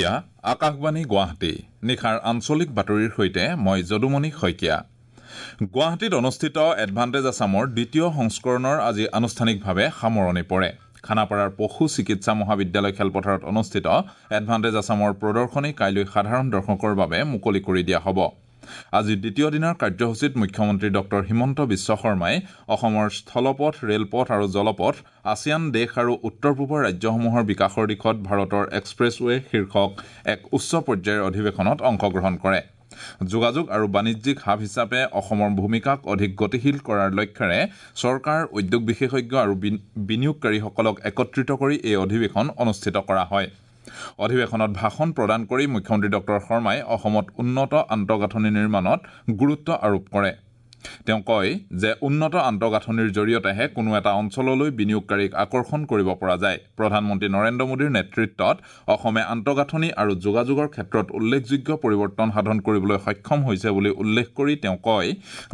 এয়া আকাশবাণী গুৱাহাটী নিশাৰ আঞ্চলিক বাতৰিৰ সৈতে মই যদুমণি শইকীয়া। গুৱাহাটীত অনুষ্ঠিত এডভান্টেজ আছামৰ দ্বিতীয় সংস্কৰণৰ আজি আনুষ্ঠানিকভাৱে সামৰণি পৰে। খানাপাৰাৰ পশু চিকিৎসা মহাবিদ্যালয় খেলপথাৰত অনুষ্ঠিত এডভান্টেজ আছামৰ প্ৰদৰ্শনী কাইলৈ সাধাৰণ দৰ্শকৰ বাবে মুকলি কৰি দিয়া হ'ব। আজি দ্বিতীয় দিনাৰ কাৰ্যসূচীত মুখ্যমন্ত্ৰী ডক্টৰ হিমন্ত বিশ্ব শৰ্মাই অসমৰ স্থলপথ, ৰেলপথ আৰু জলপথ আছিয়ান দেশ আৰু উত্তৰ পূবৰ ৰাজ্যসমূহৰ বিকাশৰ দিশত ভাৰতৰ এক্সপ্ৰেছৱে শীৰ্ষক এক উচ্চ পৰ্যায়ৰ অধিৱেশনত অংশগ্ৰহণ কৰে। যোগাযোগ আৰু বাণিজ্যিক হাব হিচাপে অসমৰ ভূমিকাক অধিক গতিশীল কৰাৰ লক্ষ্যেৰে চৰকাৰ, উদ্যোগ বিশেষজ্ঞ আৰু বিনিয়োগকাৰীসকলক একত্ৰিত কৰি এই অধিৱেশন অনুষ্ঠিত কৰা হয়। অধিৱেশনত ভাষণ প্ৰদান কৰি মুখ্যমন্ত্ৰী ডক্টৰ শৰ্মাই অসমত উন্নত আন্তঃগাঁথনি নিৰ্মাণত গুৰুত্ব আৰোপ কৰে। তেওঁ কয় যে উন্নত আন্তঃগাঁথনিৰ জৰিয়তেহে কোনো এটা অঞ্চললৈ বিনিয়োগকাৰীক আকৰ্ষণ কৰিব পৰা যায়। প্ৰধানমন্ত্ৰী নৰেন্দ্ৰ মোদীৰ নেতৃত্বত অসমে আন্তঃগাঁথনি আৰু যোগাযোগৰ ক্ষেত্ৰত উল্লেখযোগ্য পৰিৱৰ্তন সাধন কৰিবলৈ সক্ষম হৈছে বুলি উল্লেখ কৰি তেওঁ কয়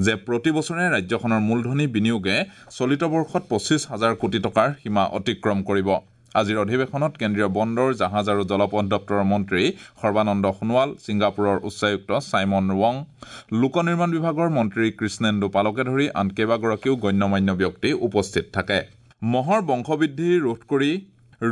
যে প্ৰতি বছৰে ৰাজ্যখনৰ মূলধনী বিনিয়োগে চলিত বৰ্ষত 25,000 কোটি টকাৰ সীমা অতিক্ৰম কৰিব। আজিৰ অধিৱেশনত কেন্দ্ৰীয় বন্দৰ, জাহাজ আৰু জলপথ দপ্তৰৰ মন্ত্ৰী সৰ্বানন্দ সোণোৱাল, ছিংগাপুৰৰ উচ্চায়ুক্ত ছাইমন ৱং, লোক নিৰ্মাণ বিভাগৰ মন্ত্ৰী কৃষ্ণেন্দু পালকে ধৰি আন কেইবাগৰাকীও গণ্যমান্য ব্যক্তি উপস্থিত থাকে। মহৰ বংশবৃদ্ধি ৰোধ কৰি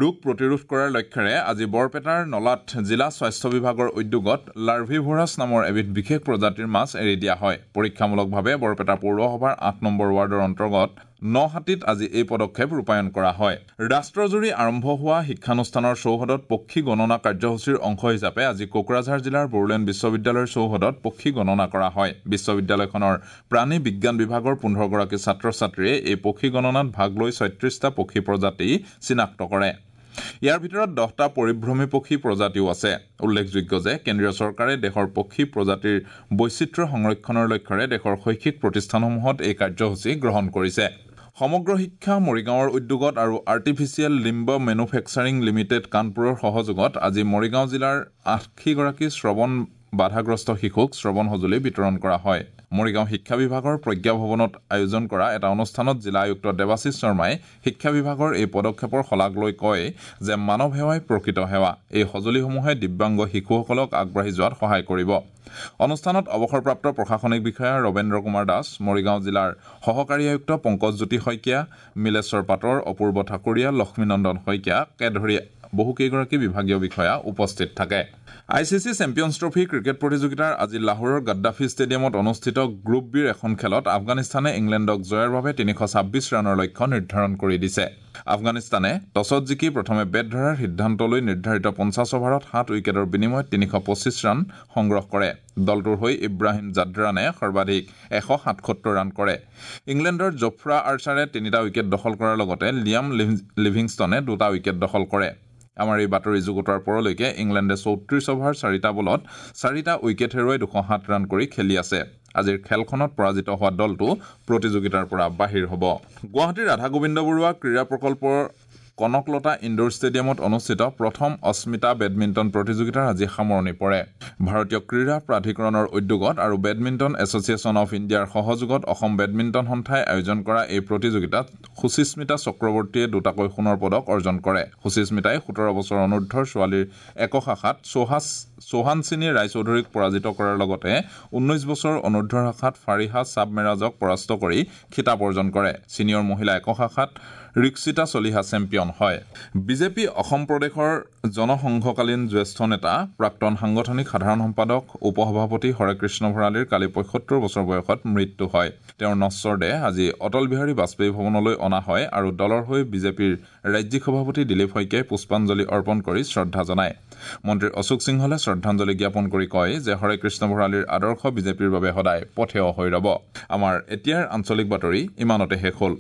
ৰোগ প্ৰতিৰোধ কৰাৰ লক্ষ্যেৰে আজি বৰপেটাৰ নলাত জিলা স্বাস্থ্য বিভাগৰ উদ্যোগত লাৰ্ভিভৰাছ নামৰ এবিধ বিশেষ প্ৰজাতিৰ মাছ এৰি দিয়া হয়। পৰীক্ষামূলকভাৱে বৰপেটা পৌৰসভাৰ ৮ নম্বৰ ৱাৰ্ডৰ অন্তৰ্গত নহাটীত আজি এই পদক্ষেপ ৰূপায়ণ কৰা হয়। ৰাষ্ট্ৰজুৰি আৰম্ভ হোৱা শিক্ষানুষ্ঠানৰ চৌহদত পক্ষী গণনা কাৰ্যসূচীৰ অংশ হিচাপে আজি কোকৰাঝাৰ জিলাৰ বড়োলেণ্ড বিশ্ববিদ্যালয়ৰ চৌহদত পক্ষী গণনা কৰা হয়। বিশ্ববিদ্যালয়খনৰ প্ৰাণী বিজ্ঞান বিভাগৰ 15গৰাকী ছাত্ৰ ছাত্ৰীয়ে এই পক্ষী গণনাত ভাগ লৈ 36টা পক্ষী প্ৰজাতি চিনাক্ত কৰে। ইয়াৰ ভিতৰত 10টা পৰিভ্ৰমী পক্ষী প্ৰজাতিও আছে। উল্লেখযোগ্য যে কেন্দ্ৰীয় চৰকাৰে দেশৰ পক্ষী প্ৰজাতিৰ বৈচিত্ৰ্য সংৰক্ষণৰ লক্ষ্যেৰে দেশৰ শৈক্ষিক প্ৰতিষ্ঠানসমূহত এই কাৰ্যসূচী গ্ৰহণ কৰিছে। সমগ্ৰ শিক্ষা মৰিগাঁৱৰ উদ্যোগত আৰু আৰ্টিফিচিয়েল লিম্ব মেনুফেকচাৰিং লিমিটেড কানপুৰৰ সহযোগত আজি মৰিগাঁও জিলাৰ 80গৰাকী শ্ৰৱণ বাধাগ্ৰস্ত শিশুক শ্ৰৱণ সঁজুলি বিতৰণ কৰা হয়। মৰিগাঁও শিক্ষা বিভাগৰ প্ৰজ্ঞা ভৱনত আয়োজন কৰা এটা অনুষ্ঠানত জিলা আয়ুক্ত দেৱাশীষ শৰ্মাই শিক্ষা বিভাগৰ এই পদক্ষেপৰ শলাগ লৈ কয় যে মানৱ সেৱাই প্ৰকৃত সেৱা। এই সঁজুলিসমূহে দিব্যাংগ শিশুসকলক আগবাঢ়ি যোৱাত সহায় কৰিব। অনুষ্ঠানত অৱসৰপ্ৰাপ্ত প্ৰশাসনিক বিষয়া ৰবেন্দ্ৰ কুমাৰ দাস, মৰিগাঁও জিলাৰ সহকাৰী আয়ুক্ত পংকজজ্যোতি শইকীয়া, মিলেশ্বৰ পাটৰ, অপূৰ্ব ঠাকুৰীয়া, লক্ষ্মীনন্দন শইকীয়াকে ধৰি বহুকেইগৰাকী বিভাগীয় বিষয়া উপস্থিত থাকে। I C C champions trophy cricket প্ৰতিযোগিতাৰ আজি লাহোৰৰ গাদ্দাফি ষ্টেডিয়ামত অনুষ্ঠিত গ্ৰুপ বিৰ এখন খেলত আফগানিস্তানে ইংলেণ্ডক জয়ৰ বাবে 326 ৰানৰ লক্ষ্য নিৰ্ধাৰণ কৰি দিছে। আফগানিস্তানে টছত জিকি প্ৰথমে বেট ধৰাৰ সিদ্ধান্ত লৈ নিৰ্ধাৰিত 50 অভাৰত 7 উইকেটৰ বিনিময়ত 325 ৰান সংগ্ৰহ কৰে। দলটোৰ হৈ ইব্ৰাহিম জাদ্ৰানে সৰ্বাধিক 177 ৰান কৰে। ইংলেণ্ডৰ জফ্ৰা আৰ্চাৰে 3টা উইকেট দখল কৰাৰ লগতে লিয়াম লিভিংষ্টনে 2টা উইকেট দখল কৰে। আমাৰ এই বাতৰি যুগুতোৱাৰ পৰলৈকে ইংলেণ্ডে 34 অভাৰ 4টা বলত 4টা উইকেট হেৰুৱাই 207 ৰান কৰি খেলি আছে। আজিৰ খেলখনত পৰাজিত হোৱা দলটো প্ৰতিযোগিতাৰ পৰা বাহিৰ হ'ব। গুৱাহাটীৰ ৰাধা গোবিন্দ বৰুৱা ক্ৰীড়া প্ৰকল্পৰ কনকলতা ইণ্ডোৰ ষ্টেডিয়ামত অনুষ্ঠিত প্ৰথম অস্মিতা বেডমিণ্টন প্ৰতিযোগিতাৰ আজি সামৰণি পৰে। ভাৰতীয় ক্ৰীড়া প্ৰাধিকৰণৰ উদ্যোগত আৰু বেডমিণ্টন এছ'চিয়েশ্যন অফ ইণ্ডিয়াৰ সহযোগত অসম বেডমিণ্টন সন্থাই আয়োজন কৰা এই প্ৰতিযোগিতাত সুচিস্মিতা চক্ৰৱৰ্তীয়ে 2টাকৈ সোণৰ পদক অৰ্জন কৰে। সুচিস্মিতাই 17 বছৰ অনুৰ্ধৰ ছোৱালীৰ একক শাখাত চৌহানচিনী ৰায়চৌধুৰীক পৰাজিত কৰাৰ লগতে 19 বছৰ অনুৰ্ধৰ শাখাত ফাৰিহা চাবমেৰাজক পৰাস্ত কৰি খিতাপ অৰ্জন কৰে। ছিনিয়ৰ মহিলা একক শাখাত ৰিক্সিতা চলিহা চেম্পিয়ন হয়। বিজেপি অসম প্ৰদেশৰ জনসংঘকালীন জ্যেষ্ঠ নেতা, প্ৰাক্তন সাংগঠনিক সাধাৰণ সম্পাদক, উপসভাপতি হৰেকৃষ্ণ ভৰালীৰ কালি 75 বছৰ বয়সত মৃত্যু হয়। তেওঁৰ নশ্বৰ দেহ আজি অটল বিহাৰী বাজপেয়ী ভৱনলৈ অনা হয় আৰু দলৰ হৈ বিজেপিৰ ৰাজ্যিক সভাপতি দিলীপ শইকীয়াই পুষ্পাঞ্জলি অৰ্পণ কৰি শ্ৰদ্ধা জনায়। মন্ত্ৰী অশোক সিংহলে শ্ৰদ্ধাঞ্জলি জ্ঞাপন কৰি কয় যে হৰেকৃষ্ণ ভৰালীৰ আদৰ্শ বিজেপিৰ বাবে সদায় পথেয় হৈ ৰ'ব। আমাৰ এতিয়াৰ আঞ্চলিক বাতৰি ইমানতে শেষ হ'ল।